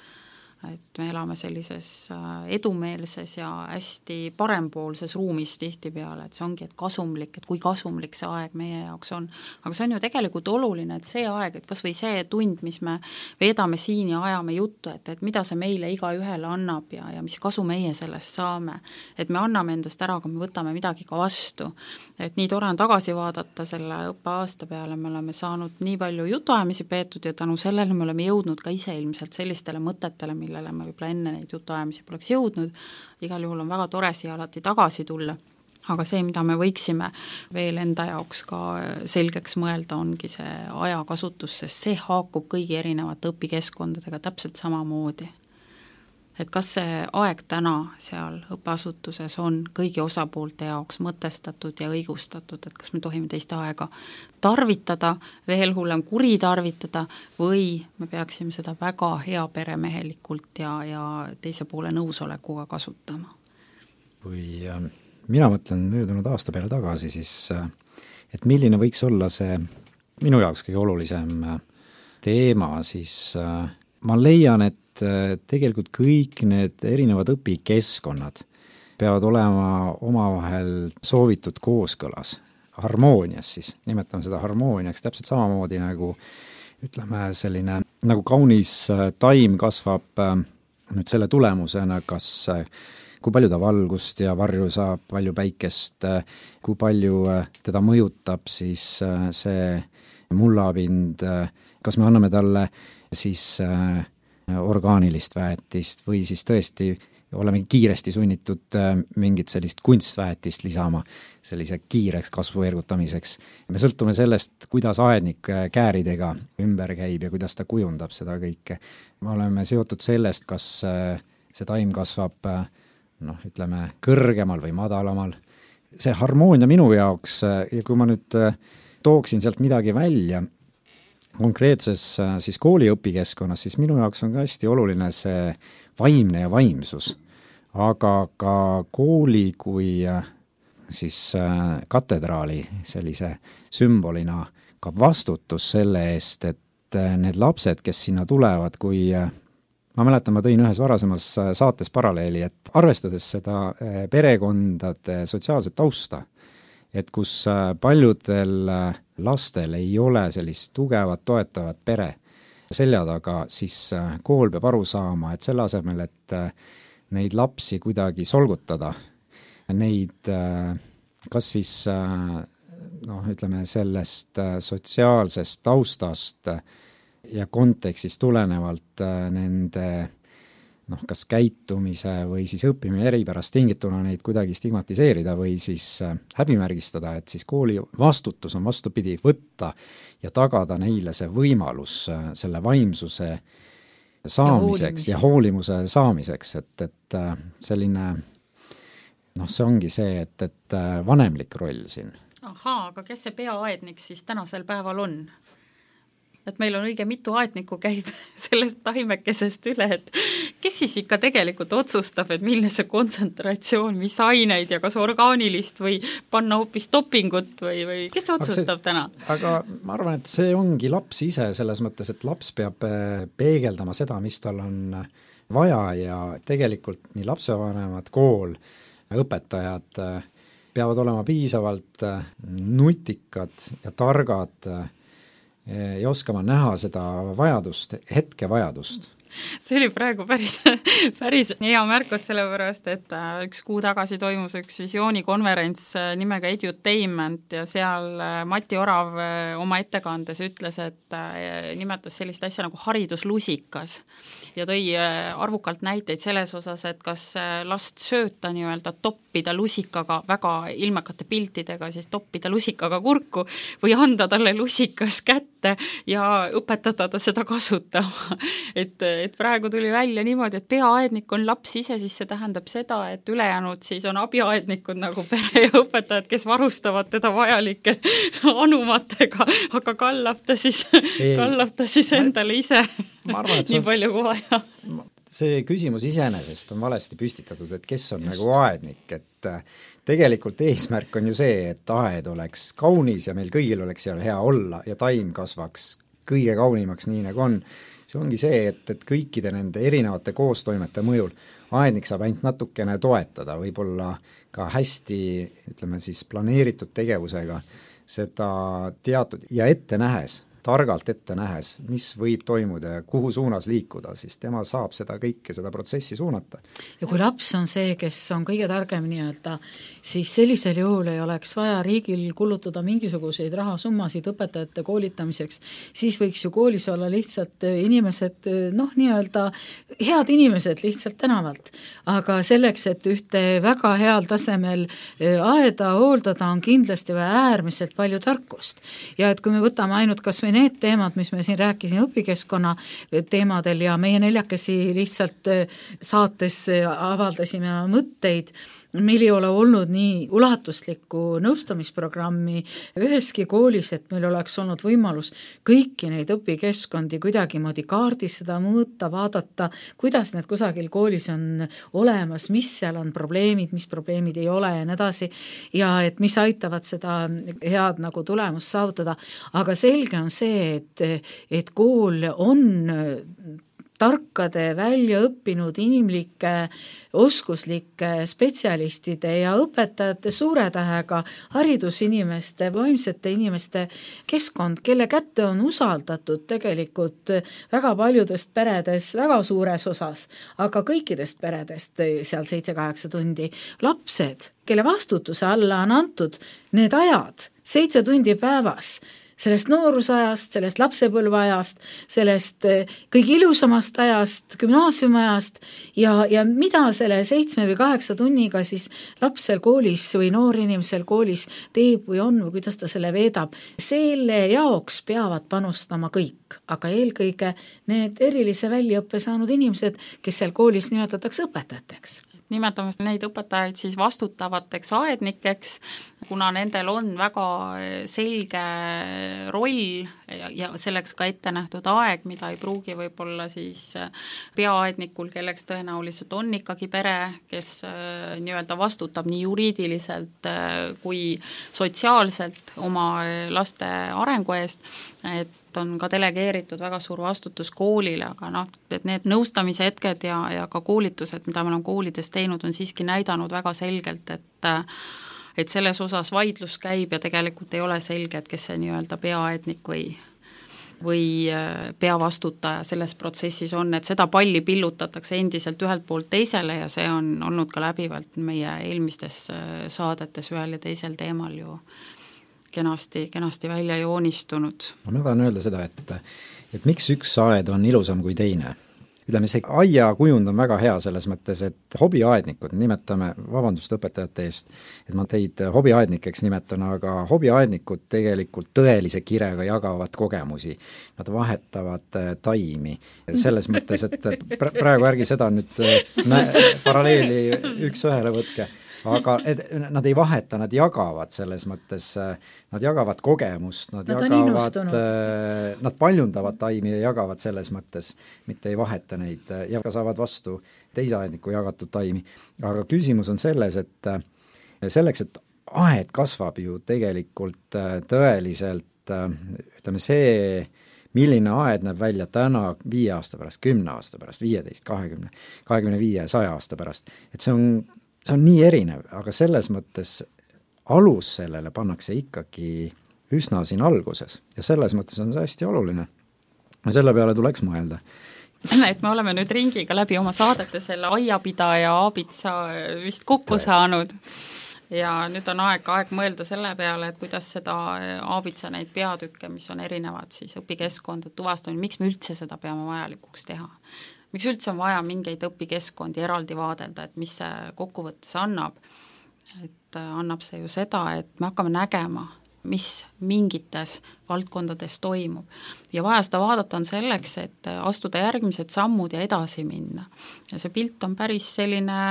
[SPEAKER 1] et me elame sellises edumeelses ja hästi parempoolses ruumis tihtipeale, et see ongi, et kasumlik, et kui kasumlik see aeg meie jaoks on. Aga see on ju tegelikult oluline, et see aeg, et kas või see tund, mis me veedame siin ja ajame juttu, et, et mida see meile iga ühele annab ja, ja mis kasu meie sellest saame. Et me anname endast ära, aga me võtame midagi ka vastu. Et nii tore on tagasi vaadata selle õppeaasta peale, me oleme saanud nii palju jutuajamisi peetud ja tänu sellele me oleme jõudnud ka ise ilmselt sellistele mõtetele, millele me võib-olla enne neid jutuajamisi poleks jõudnud. Igal juhul on väga tore siia alati tagasi tulla. Aga see, mida me võiksime veel enda jaoks ka selgeks mõelda, ongi see ajakasutus, sest see haakub kõigi erinevate õpikeskkondadega täpselt samamoodi. Et kas see aeg täna seal õppeasutuses on kõigi osapoolte jaoks mõtestatud ja õigustatud, et kas me tohime teiste aega tarvitada, veel hullem kuritarvitada või me peaksime seda väga hea peremehelikult ja, ja teise poole nõusolekuga kasutama.
[SPEAKER 4] Kui äh, mina mõtlen möödunud aasta peale tagasi, siis äh, et milline võiks olla see minu jaoks kõige olulisem äh, teema, siis äh, ma leian, et tegelikult kõik need erinevad õpikeskkonnad peavad olema omavahel soovitud kooskõlas, harmoonias siis, nimetame seda harmooniaks täpselt samamoodi nagu ütleme selline, nagu kaunis taim kasvab nüüd selle tulemusena, kas kui palju ta valgust ja varju saab, palju päikest, kui palju teda mõjutab siis see mullapind, kas me anname talle siis orgaanilist väetist või siis tõesti oleme kiiresti sunnitud mingit sellist kunstväetist lisama sellise kiireks kasvu ergutamiseks. Me sõltume sellest, kuidas aednik kääridega ümber käib ja kuidas ta kujundab seda kõike. Me oleme seotud sellest, kas see taim kasvab noh, ütleme kõrgemal või madalamal. See harmoonia minu jaoks ja kui ma nüüd tooksin sealt midagi välja, konkreetses siis kooli õpikeskkonnas, siis minu jaoks on ka hästi oluline see vaimne ja vaimsus, aga ka kooli kui siis katedraali sellise sümbolina ka vastutus selle eest, et need lapsed, kes sinna tulevad, kui ma mäletan, ma tõin ühes varasemas saates paralleeli, et arvestades seda perekondade sotsiaalset tausta, et kus paljudel lastel ei ole sellist tugevat, toetavat pere selja taga, siis kool peab aru saama, et selle asemel, et neid lapsi kuidagi solgutada, neid kas siis noh, ütleme sellest sotsiaalsest taustast ja kontekstist tulenevalt nende noh, kas käitumise või siis õppimine eripärast tingituna neid kuidagi stigmatiseerida või siis häbimärgistada, et siis kooli vastutus on vastupidi võtta ja tagada neile see võimalus selle vaimsuse saamiseks ja, ja hoolimuse saamiseks, et, et selline noh, see ongi see, et, et vanemlik roll siin.
[SPEAKER 1] Ahaa, aga kes see peaaednik siis tänasel päeval on? Et meil on õige mitu aetnikku käib sellest taimekesest üle, et kes siis ikka tegelikult otsustab, et milline see kontsentratsioon, mis aineid ja kas orgaanilist või panna hoopis dopingut või, või kes otsustab aga see, täna?
[SPEAKER 4] Aga ma arvan, et see ongi laps ise selles mõttes, et laps peab peegeldama seda, mis tal on vaja ja tegelikult nii lapsevanemad, kool, õpetajad peavad olema piisavalt nutikad ja targad ja oskama näha seda vajadust, hetke vajadust.
[SPEAKER 1] see oli praegu päris, päris hea märkus, sellepärast, et üks kuu tagasi toimus üks visioonikonverents nimega Edutainment ja seal Mati Orav oma ettekandes ütles, et nimetas sellist asja nagu hariduslusikas ja tõi arvukalt näiteid selles osas, et kas last sööta nii-öelda toppida lusikaga, väga ilmekate piltidega, siis toppida lusikaga kurku või anda talle lusikas kätte ja õpetada ta seda kasutama. et, et praegu tuli välja niimoodi, et peaaednik on laps ise, siis see tähendab seda, et ülejäänud siis on abiaednikud nagu pere ja õpetajad, kes varustavad teda vajalike anumatega, aga kallab ta siis, kallab ta siis endale ise
[SPEAKER 4] ma arvan, et
[SPEAKER 1] nii palju kui vaja.
[SPEAKER 4] See küsimus iseenesest on valesti püstitatud, et kes on Just. nagu aednik, et tegelikult eesmärk on ju see, et aed oleks kaunis ja meil kõigil oleks seal hea olla ja taim kasvaks kõige kaunimaks, nii nagu on. See ongi see, et, et kõikide nende erinevate koostoimete mõjul aednik saab ainult natukene toetada, võib-olla ka hästi, ütleme siis planeeritud tegevusega seda teatud ja ette nähes, targalt ette nähes, mis võib toimuda ja kuhu suunas liikuda, siis tema saab seda kõike, seda protsessi suunata.
[SPEAKER 2] Ja kui laps on see, kes on kõige targem nii-öelda, siis sellisel juhul ei oleks vaja riigil kulutada mingisuguseid rahasummasid õpetajate koolitamiseks, siis võiks ju koolis olla lihtsalt inimesed, noh nii-öelda head inimesed lihtsalt tänavalt. Aga selleks, et ühte väga heal tasemel aeda hooldada, on kindlasti vaja äärmiselt palju tarkust. Ja et kui me võtame ainult kas või need teemad, mis me siin rääkisime õpikeskkonna teemadel ja meie neljakesi lihtsalt saates avaldasime mõtteid, meil ei ole olnud nii ulatuslikku nõustamisprogrammi üheski koolis, et meil oleks olnud võimalus kõiki neid õpikeskkondi kuidagimoodi kaardistada, mõõta, vaadata, kuidas need kusagil koolis on olemas, mis seal on probleemid, mis probleemid ei ole ja nii edasi, ja et mis aitavad seda head nagu tulemust saavutada. Aga selge on see, et, et kool on tarkade, välja õppinud inimlike, oskuslike spetsialistide ja õpetajate suure tähega haridusinimeste, vaimsete inimeste keskkond, kelle kätte on usaldatud tegelikult väga paljudest peredes väga suures osas, aga kõikidest peredest seal seitse-kaheksa tundi lapsed, kelle vastutuse alla on antud need ajad, seitse tundi päevas, sellest noorusajast, sellest lapsepõlveajast, sellest kõige ilusamast ajast, gümnaasiumiajast ja, ja mida selle seitsme või kaheksa tunniga siis lapsel koolis või noorinimesel koolis teeb või on või kuidas ta selle veedab. Selle jaoks peavad panustama kõik, aga eelkõige need erilise väljaõppe saanud inimesed, kes seal koolis nimetatakse õpetajateks.
[SPEAKER 1] Nimetame neid õpetajaid siis vastutavateks aednikeks, kuna nendel on väga selge roll ja, ja selleks ka ette nähtud aeg, mida ei pruugi võib-olla siis peaaednikul, kelleks tõenäoliselt on ikkagi pere, kes nii-öelda vastutab nii juriidiliselt kui sotsiaalselt oma laste arengu eest, et on ka delegeeritud väga suur vastutus koolile, aga noh, et need nõustamise hetked ja, ja ka koolitused, mida me oleme koolides teinud, on siiski näidanud väga selgelt, et et selles osas vaidlus käib ja tegelikult ei ole selge, et kes see nii-öelda peaaednik või või peavastutaja selles protsessis on, et seda palli pillutatakse endiselt ühelt poolt teisele ja see on olnud ka läbivalt meie eelmistes saadetes ühel ja teisel teemal ju kenasti, kenasti välja joonistunud.
[SPEAKER 4] Ma tahan öelda seda, et, et miks üks aed on ilusam kui teine. Ütleme, see aia kujund on väga hea selles mõttes, et hobiaednikud, nimetame, vabandust õpetajate eest, et ma teid hobiaednikeks nimetan, aga hobiaednikud tegelikult tõelise kirega jagavad kogemusi. Nad vahetavad taimi. Selles mõttes, et praegu ärgi seda nüüd paralleeli üks ühele võtke. Aga et, nad ei vaheta, nad jagavad selles mõttes, nad jagavad kogemust, nad, nad jagavad, nad paljundavad taimi ja jagavad selles mõttes, mitte ei vaheta neid ja ka saavad vastu teise aedniku jagatud taimi. Aga küsimus on selles, et selleks, et aed kasvab ju tegelikult tõeliselt, ütleme see, milline aed näeb välja täna viie aasta pärast, kümne aasta pärast, viieteist, kahekümne, kahekümne viie, saja aasta pärast, et see on see on nii erinev, aga selles mõttes alus sellele pannakse ikkagi üsna siin alguses ja selles mõttes on see hästi oluline. Ja selle peale tuleks mõelda.
[SPEAKER 1] et me oleme nüüd ringiga läbi oma saadete selle aiapidaja aabitsa vist kokku saanud ja nüüd on aeg, aeg mõelda selle peale, et kuidas seda aabitsa neid peatükke, mis on erinevad siis õpikeskkondade tuvastamine, miks me üldse seda peame vajalikuks teha. Miks üldse on vaja mingeid õpikeskkondi eraldi vaadelda, et mis see kokkuvõttes annab. Et annab see ju seda, et me hakkame nägema, mis mingites valdkondades toimub. Ja vaja seda vaadata on selleks, et astuda järgmised sammud ja edasi minna. Ja see pilt on päris selline,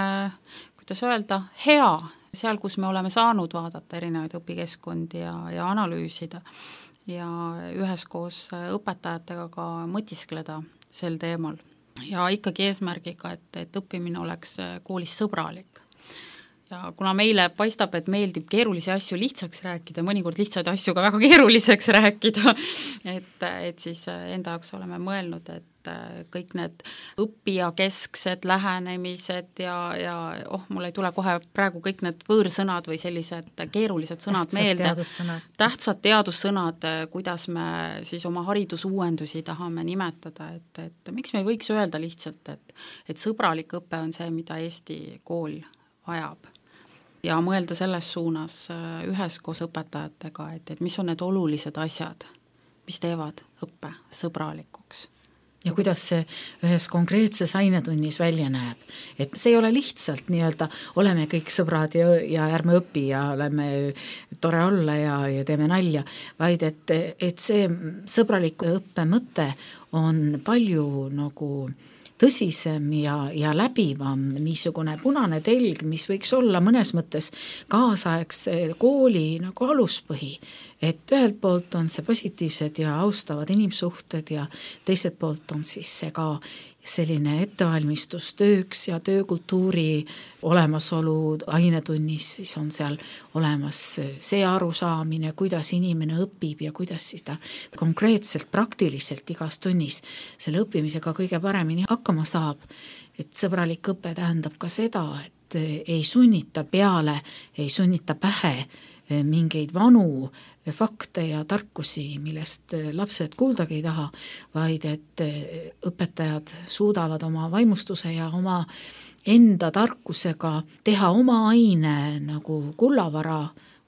[SPEAKER 1] kuidas öelda, hea, seal, kus me oleme saanud vaadata erinevaid õpikeskkondi ja, ja analüüsida ja üheskoos õpetajatega ka mõtiskleda sel teemal. Ja ikkagi eesmärgiga, et, et õppimine oleks koolis sõbralik. Ja kuna meile paistab, et meeldib keerulisi asju lihtsaks rääkida, mõnikord lihtsaid asju ka väga keeruliseks rääkida, et, et siis enda jaoks oleme mõelnud, et kõik need õppijakesksed lähenemised ja, ja oh, mul ei tule kohe praegu kõik need võõrsõnad või sellised keerulised sõnad
[SPEAKER 2] tähtsad
[SPEAKER 1] meelde.
[SPEAKER 2] Teadussõnad.
[SPEAKER 1] Tähtsad teadussõnad, kuidas me siis oma haridusuuendusi tahame nimetada, et, et miks me ei võiks öelda lihtsalt, et, et sõbralik õpe on see, mida Eesti kool vajab. Ja mõelda selles suunas üheskoos õpetajatega, et, et mis on need olulised asjad, mis teevad õppe sõbralikuks.
[SPEAKER 2] Ja kuidas see ühes konkreetses ainetunnis välja näeb. Et see ei ole lihtsalt nii-öelda oleme kõik sõbrad ja, ja ärme õpi ja oleme tore olla ja, ja teeme nalja, vaid et, et see sõbraliku õppe mõte on palju nagu tõsisem ja, ja läbivam niisugune punane telg, mis võiks olla mõnes mõttes kaasaegse kooli nagu aluspõhi. Et ühelt poolt on see positiivsed ja austavad inimsuhted ja teiselt poolt on siis see ka selline ettevalmistus tööks ja töökultuuri olemasolu ainetunnis, siis on seal olemas see arusaamine, kuidas inimene õpib ja kuidas siis ta konkreetselt, praktiliselt igas tunnis selle õppimisega kõige paremini hakkama saab. Et sõbralik õpe tähendab ka seda, et ei sunnita peale, ei sunnita pähe mingeid vanu fakte ja tarkusi, millest lapsed kuuldagi ei taha, vaid et õpetajad suudavad oma vaimustuse ja oma enda tarkusega teha oma aine nagu kullavara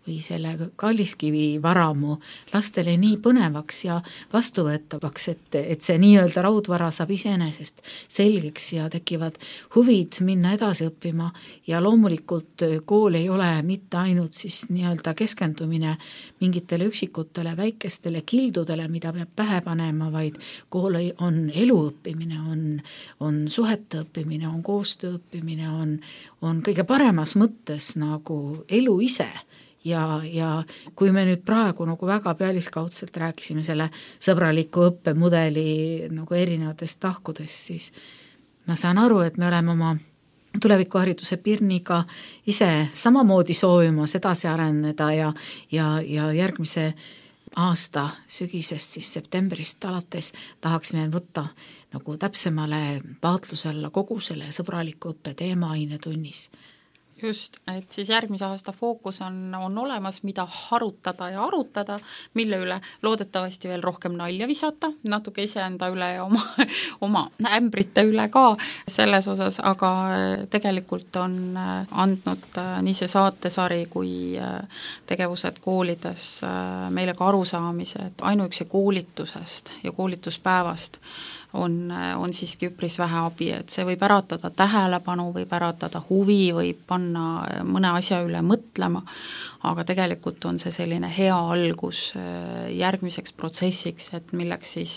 [SPEAKER 2] või selle kalliskivi varamu lastele nii põnevaks ja vastuvõetavaks, et, et see nii-öelda raudvara saab iseenesest selgeks ja tekivad huvid minna edasi õppima ja loomulikult kool ei ole mitte ainult siis nii-öelda keskendumine mingitele üksikutele väikestele kildudele, mida peab pähe panema, vaid kool on eluõppimine, on, on suhete õppimine, on koostöö õppimine, on, on kõige paremas mõttes nagu elu ise. Ja, ja kui me nüüd praegu nagu väga pealiskaudselt rääkisime selle sõbraliku õppemudeli nagu erinevatest tahkudest, siis ma saan aru, et me oleme oma tulevikuhariduse pirniga ise samamoodi soovimas edasi areneda ja, ja, ja järgmise aasta sügisest siis septembrist alates tahaksime võtta nagu täpsemale vaatluse alla kogu selle sõbraliku õppe teema ainetunnis.
[SPEAKER 1] Just, et siis järgmise aasta fookus on, on olemas, mida harutada ja arutada, mille üle loodetavasti veel rohkem nalja visata, natuke iseenda üle ja oma, oma ämbrite üle ka selles osas, aga tegelikult on andnud nii see saatesari kui tegevused koolides meile ka arusaamise, et ainuüksi koolitusest ja koolituspäevast on, on siiski üpris vähe abi, et see võib äratada tähelepanu, võib äratada huvi, võib panna mõne asja üle mõtlema, aga tegelikult on see selline hea algus järgmiseks protsessiks, et milleks siis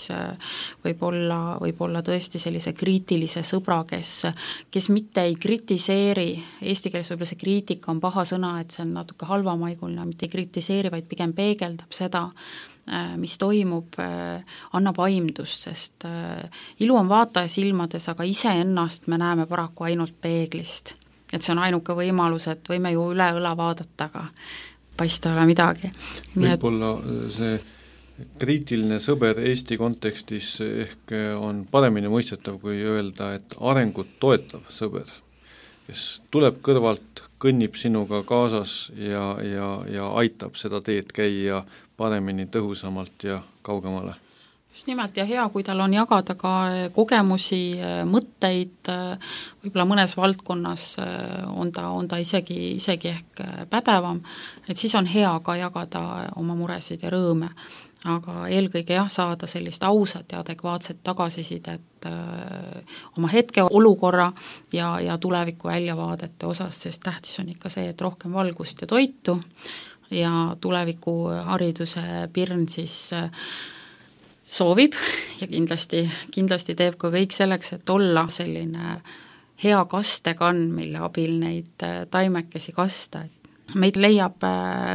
[SPEAKER 1] võib olla, võib olla tõesti sellise kriitilise sõbra, kes, kes mitte ei kritiseeri, eesti keeles võib-olla see kriitika on paha sõna, et see on natuke halvamaiguline, mitte ei kritiseeri, vaid pigem peegeldab seda, mis toimub, annab aimdust, sest ilu on vaataja silmades, aga iseennast me näeme paraku ainult peeglist. Et see on ainuke võimalus, et võime ju üle õla vaadata, aga paista ole midagi.
[SPEAKER 3] Võib-olla see kriitiline sõber Eesti kontekstis ehk on paremini mõistetav, kui öelda, et arengut toetav sõber, kes tuleb kõrvalt, kõnnib sinuga kaasas ja, ja, ja aitab seda teed käia paremini, tõhusamalt ja kaugemale.
[SPEAKER 1] just nimelt ja hea, kui tal on jagada ka kogemusi, mõtteid, võib-olla mõnes valdkonnas on ta, on ta isegi, isegi ehk pädevam, et siis on hea ka jagada oma muresid ja rõõme. Aga eelkõige jah, saada sellist ausat ja adekvaatset tagasisidet öö, oma hetke olukorra ja, ja tuleviku väljavaadete osas, sest tähtis on ikka see, et rohkem valgust ja toitu ja tuleviku hariduse pirn siis öö, soovib ja kindlasti, kindlasti teeb ka kõik selleks, et olla selline hea kastekann, mille abil neid taimekesi kasta. Meid leiab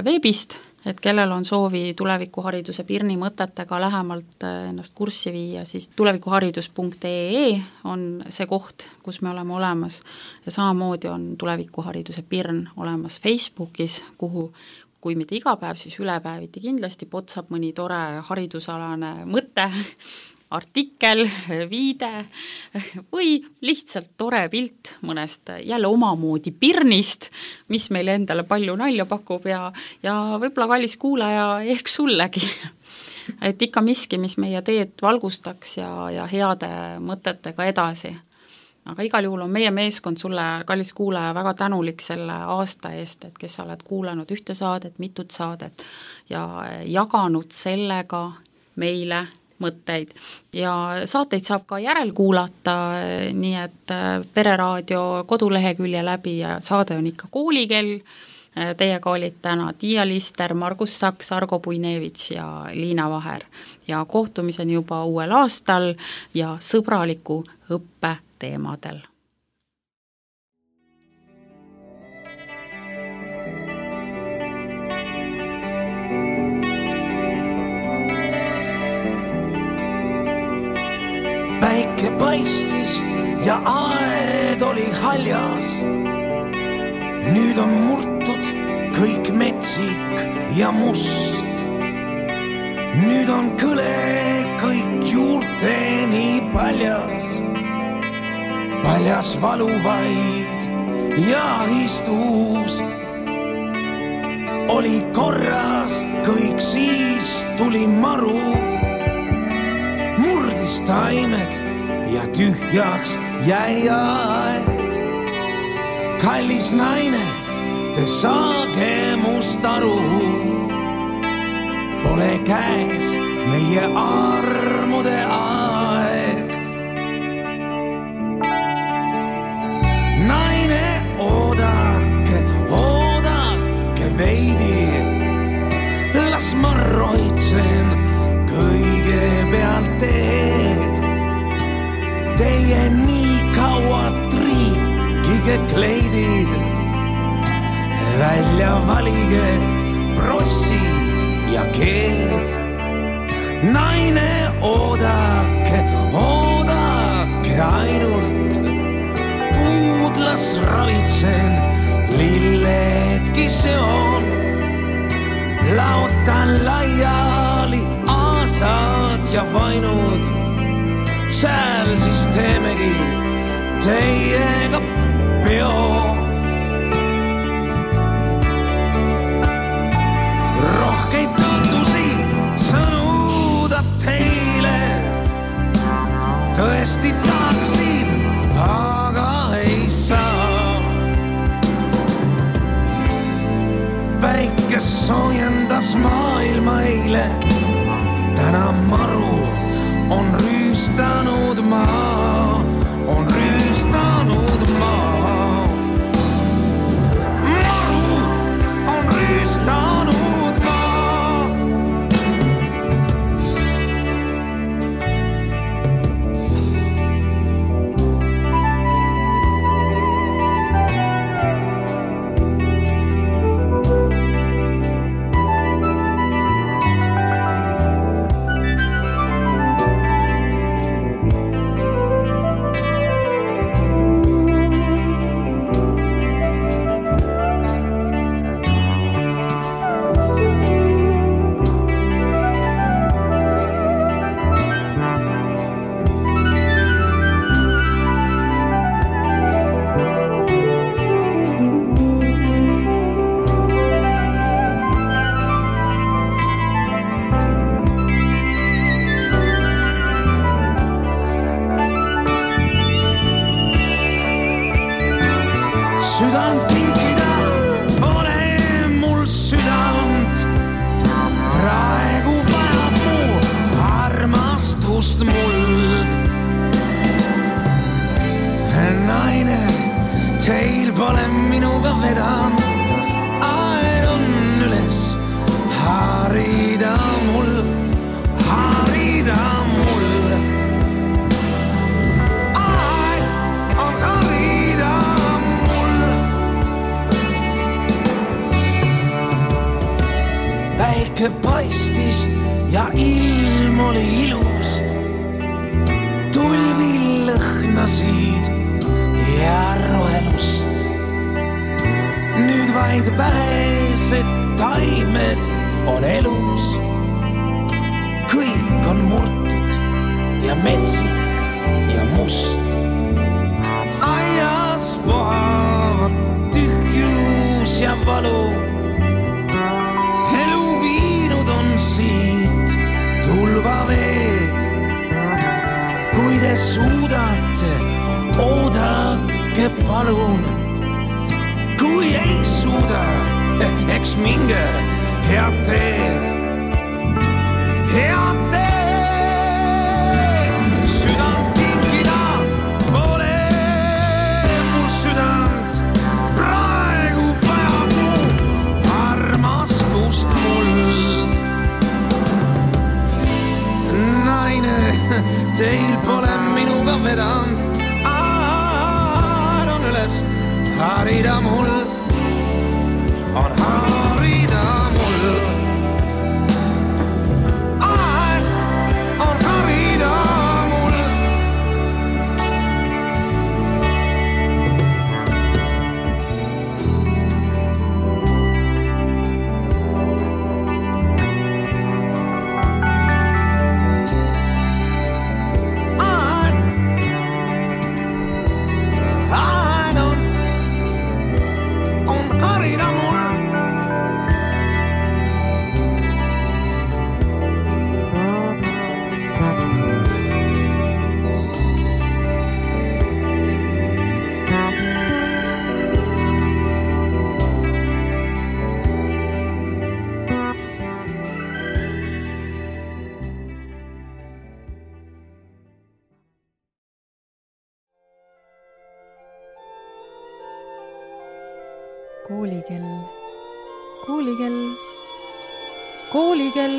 [SPEAKER 1] veebist, et kellel on soovi tulevikuhariduse pirni mõtetega lähemalt ennast kurssi viia, siis tulevikuharidus punkt ee on see koht, kus me oleme olemas ja samamoodi on tulevikuhariduse pirn olemas Facebookis, kuhu kui mitte iga päev, siis ülepäeviti kindlasti potsab mõni tore haridusalane mõte, artikkel, viide või lihtsalt tore pilt mõnest jälle omamoodi pirnist, mis meile endale palju nalja pakub ja, ja võib-olla kallis kuulaja ehk sullegi. Et ikka miski, mis meie teed valgustaks ja, ja heade mõtetega edasi. Aga igal juhul on meie meeskond sulle, kallis kuulaja, väga tänulik selle aasta eest, et kes sa oled kuulanud ühte saadet, mitut saadet ja jaganud sellega meile mõtteid ja saateid saab ka järelkuulata, nii et Pereraadio kodulehekülje läbi ja saade on ikka Koolikell. Teiega olid täna Tiia Lister, Margus Saks, Argo Puinevits ja Liina Vaher ja kohtumiseni juba uuel aastal ja sõbraliku õppe teemadel.
[SPEAKER 5] Päike paistis ja aed oli haljas. Nüüd on murtud kõik metsik ja must. Nüüd on kõle kõik juurteni paljas. Paljas valuvaid ja istus. Oli korras kõik, siis tuli maru. Murdis taimed ja tühjaks jäi aed. Kallis naine, te saage must aru. Pole käes meie armude aeg. Naine, oodake, oodake veidi. Las ma roitsen kõigepealt teed. Teie nii kaua triikige kleidid. Välja valige prossid ja keed. Naine, oodake, oodake ainult. Puudlas ravitsen, lilledki seon. Laotan laiali aasad ja vainud. Sääl siis teemegi teiega peo. Rohkeid tõtusi sõnuda teile. Tõesti tahaksin, aga ei saa. Päike soojendas maailma eile. Täna maru on rüüstanud maa, on rüüstanud maa. Maru on rüüstanud maa. teil pole minuga vedanud, aed on üles, harida mul, harida mul. Aed on harida mul. Päike paistis ja ilm oli ilus, tulvil lõhnasid ja rohelust. Nüüd vaid vähesed taimed on elus, kõik on murtud ja metsik ja must. Aias vohavad tühjus ja valu, elu viinud on siit tulvaveed. Kui te suudate, oodake palun. Kui ei suuda, eks minge head teed. Head teed, südant kinkida pole mul südant. Praegu vajab mu armastust muld. Naine, teil pole minuga vedanud, aad on üles, harida mul, on harida mul. Aad on harida mul.
[SPEAKER 6] Koolikell, koolikell, koolikell.